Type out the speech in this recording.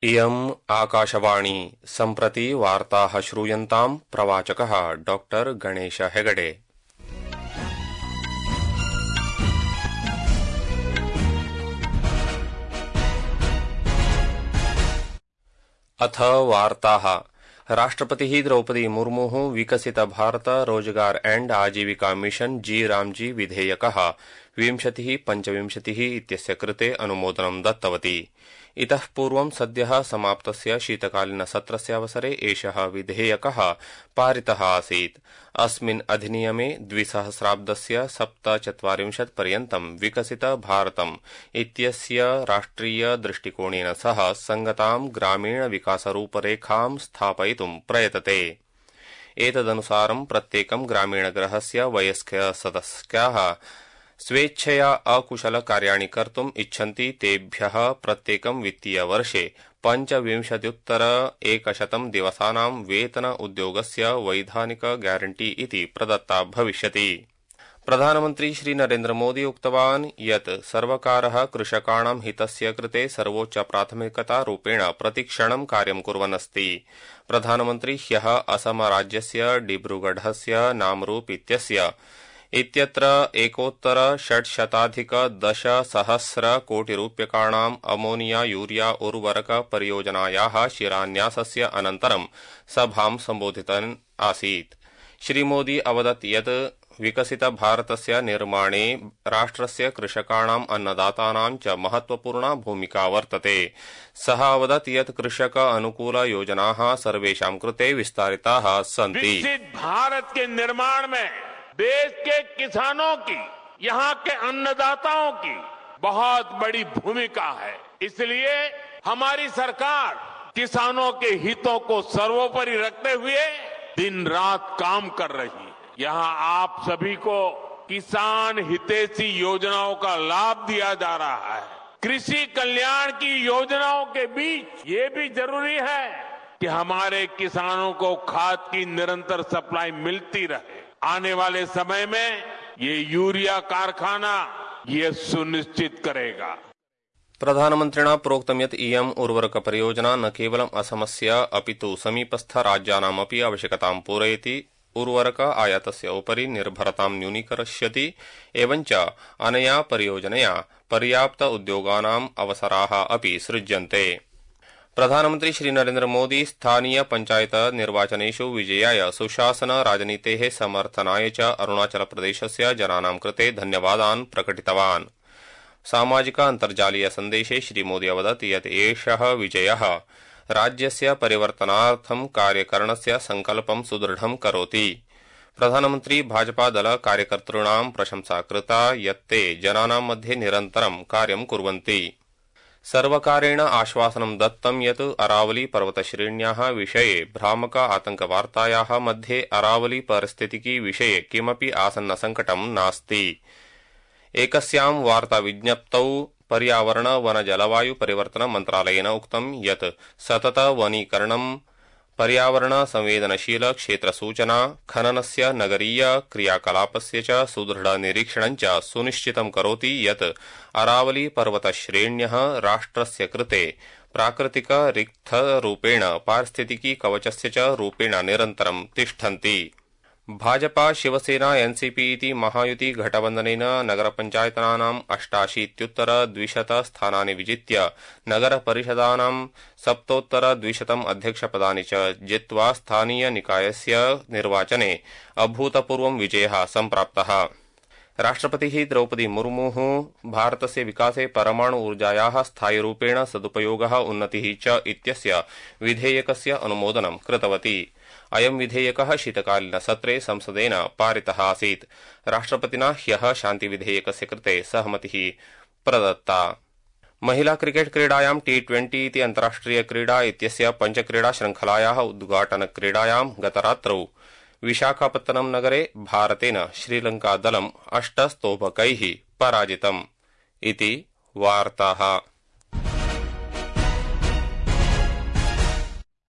इयम् आकाशवाणी सम्प्रति वार्ताः श्रूयन्ताम् प्रवाचकः डॉक्टर गणेश हेगडे। अथ वार्ताः। राष्ट्रपतिः द्रौपदी मुर्मुः विकसित भारत रोजगार एंड आजीविका मिशन जी रामजी विधेयकः 2025 इत्यस्य कृते अनुमोदनं दत्तवती। इतः पूर्वं सद्यः समाप्तस्य शीतकालीनसत्रस्य अवसरे एषः विधेयकः पारितः आसीत्। अस्मिन् अधिनियमे 2000 7-40 पर्यन्तं विकसित भारतम् इत्यस्य राष्ट्रिय दृष्टिकोणेन सह संगतां ग्रामीण विकासरूपरेखां स्थापयितुं प्रयतते। एतदनुसारं प्रत्येकं ग्रामीणगृहस्य वयस्कसदस्याः स्वेच्छया अकुशलकार्याणि कर्तुम् इच्छन्ति तेभ्यः प्रत्येकं वित्तीयवर्षे 25,100 दिवसानां वेतन उद्योगस्य वैधानिक ग्यारंटी इति प्रदत्ता भविष्यति। प्रधानमन्त्री श्री नरेन्द्र मोदी उक्तवान् यत् सर्वकारः कृषकाणां हितस्य कृते सर्वोच्च प्राथमिकतारूपेण प्रतिक्षणं कार्यं कुर्वन् अस्ति। प्रधानमन्त्री ह्यः असम राज्यस्य डिब्रूगढस्य नामरूप इत्यत्र 1,610 कोटिरूप्यकाणाम् अमोनिया यूरिया उर्वरक परियोजनायाः शिलान्यासस्य अनन्तरं सभां सम्बोधितन् आसीत्। श्रीमोदी अवदत् यत् विकसित भारतस्य निर्माणे राष्ट्रस्य कृषकाणाम् अन्नदातानां च महत्वपूर्णा भूमिका वर्तते। सः अवदत् यत् कृषक अनुकूल योजनाः सर्वेषां कृते विस्तारिताः सन्ति। विकसित भारत के निर्माण में देश के किसानों की, यहाँ के अन्नदाताओं की बहुत बड़ी भूमिका है। इसलिए हमारी सरकार किसानों के हितों को सर्वोपरि रखते हुए दिन रात काम कर रही है। यहाँ आप सभी को किसान हितैषी योजनाओं का लाभ दिया जा रहा है। कृषि कल्याण की योजनाओं के बीच ये भी जरूरी है कि हमारे किसानों को खाद की निरंतर सप्लाई मिलती रहे। आने वाले समय में ये यूरिया कारखाना ये सुनिश्चित करेगा। प्रधानमन्त्रिणा प्रोक्तं यत् इयम् उर्वरक परियोजना न केवलम् असमस्य अपितु समीपस्थ राज्यानामपि आवश्यकतां पूरयति, उर्वरक आयातस्य उपरि निर्भरतां न्यूनीकरिष्यति, एवञ्च अनया परियोजनया पर्याप्त उद्योगानाम् अवसराः अपि सृज्यन्ते। प्रधानमन्त्री श्री नरेन्द्र मोदी स्थानीय पंचायत निर्वाचनेषु विजयाय सुशासन राजनीतेः समर्थनाय च अरुणाचल प्रदेशस्य जनानां कृते धन्यवादान् प्रकटितवान्। सामाजिक अन्तर्जालीय सन्देशे श्रीमोदी अवदत् यत् एषः विजयः राज्यस्य परिवर्तनार्थं कार्यकरणस्य संकल्पं सुदृढं करोति। प्रधानमन्त्री भाजपा दल कार्यकर्तॄणां प्रशंसा कृता यत् ते जनानां मध्ये निरन्तरं कार्यं कुर्वन्ति। सर्वकारेण आश्वासनं दत्तं यत् अरावली पर्वतश्रेण्याः विषये भ्रामक आतंकवार्तायाः मध्ये अरावली परिस्थितिकी विषये किमपि आसन्न संकटं नास्ति। एकस्यां वार्ताविज्ञप्तौ पर्यावरण वन जलवायु परिवर्तन मन्त्रालयेन उक्तं यत् सतत वनीकरणं पर्यावरण संवेदनशील क्षेत्रसूचना खननस्य नगरीय क्रियाकलापस्य च सुदृढ निरीक्षणं च सुनिश्चितं करोति यत् अरावली पर्वतश्रेण्यः राष्ट्रस्य कृते प्राकृतिक रिक्थरूपेण पारिस्थितिकी कवचस्य च रूपेण निरन्तरं तिष्ठन्ति। भाजपा शिवसेना एनसीपी इति महायुति घटबन्धनेन नगरपञ्चायतनानाम् 88,200 स्थानानि विजित्य नगरपरिषदानां 7,200 अध्यक्षपदानि च जित्वा स्थानीय निकायस्य निर्वाचने अभूतपूर्वं विजयः सम्प्राप्तः। राष्ट्रपतिः द्रौपदी मुर्मुः भारतस्य विकासे परमाणु ऊर्जायाः स्थायिरूपेण सदुपयोगः उन्नतिः च इत्यस्य विधेयकस्य अनुमोदनं कृतवती। अयं विधेयकः शीतकालीनसत्रे संसदेन पारितः आसीत्। राष्ट्रपतिना ह्यः शान्तिविधेयकस्य कृते सहमतिः प्रदत्ता। महिला क्रिकेट क्रीडायां T20 इति अन्ताराष्ट्रिय क्रीडा इत्यस्य पञ्चक्रीडा श्रृंखलायाः उद्घाटनक्रीडायां गतरात्रौ विशाखापत्तनम नगरे भारतेन श्रीलंका दलम् 8 स्तोभकैः पराजितम्। इति वार्ताः।